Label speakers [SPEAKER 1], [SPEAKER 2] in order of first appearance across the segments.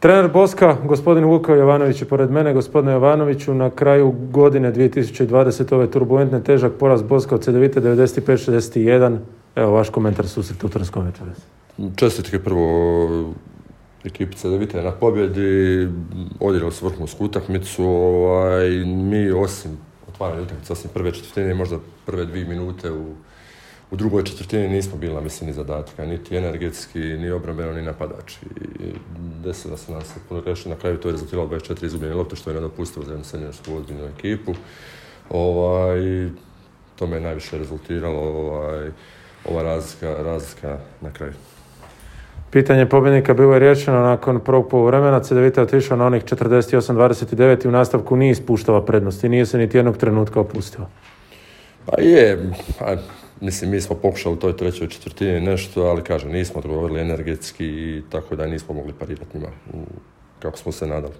[SPEAKER 1] Trener Boska, gospodin Vuko Jovanović je pored mene. Gospodine Jovanoviću, na kraju godine 2020. ove turbulentne težak poraz Boska od Cedevite 95-61. Evo vaš komentar susreta u Trnskom večeras.
[SPEAKER 2] Čestitke prvo ekipi Cedevite na pobjedi, odigrali su vrhunsku utakmicu. Mi osim otvaranja utakmice, osim prve četvrtine, možda prve 2 minute u drugoj četvrtini nismo bili na visini zadatka, niti energetski, ni obrambeno, ni napadači. Desilo se nam se puno greški, na kraju to je rezultiralo 24 izgubljene lopte, što je nedopustivo za jednu seniorsku ozbiljnu ekipu. To me je najviše rezultiralo, ova razlika na kraju.
[SPEAKER 1] Pitanje pobjednika bilo je riješeno nakon prvog poluvremena. Cedevita je otišao na onih 48-29 i u nastavku nije ispuštala prednost i nije se niti jednog trenutka opustila.
[SPEAKER 2] Mislim, mi smo pokušali u toj trećoj četvrtini nešto, ali kažem, nismo odgovorili energetski i tako da nismo mogli parirati njima kako smo se nadali.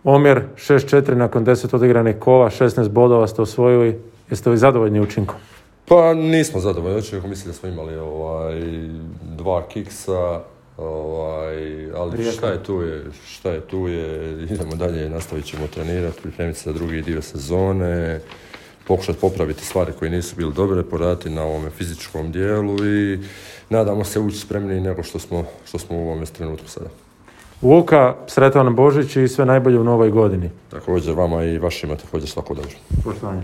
[SPEAKER 1] Omjer 6-4 nakon 10 odigranih kola, 16 bodova ste osvojili. Jeste li zadovoljni učinkom?
[SPEAKER 2] Pa nismo zadovoljni učinkom, mislim da smo imali 2 kiksa, ali šta je tu je, idemo dalje, nastavit ćemo trenirati, pripremiti se za drugi dio sezone, pokušati popraviti stvari koje nisu bile dobre, poraditi na ovome fizičkom dijelu i nadamo se ući spremniji nego što smo u ovome trenutku sada.
[SPEAKER 1] Luka, sretan Božić i sve najbolje u novoj godini.
[SPEAKER 2] Također vama i vašima također svako dobro.
[SPEAKER 1] Poštovanje.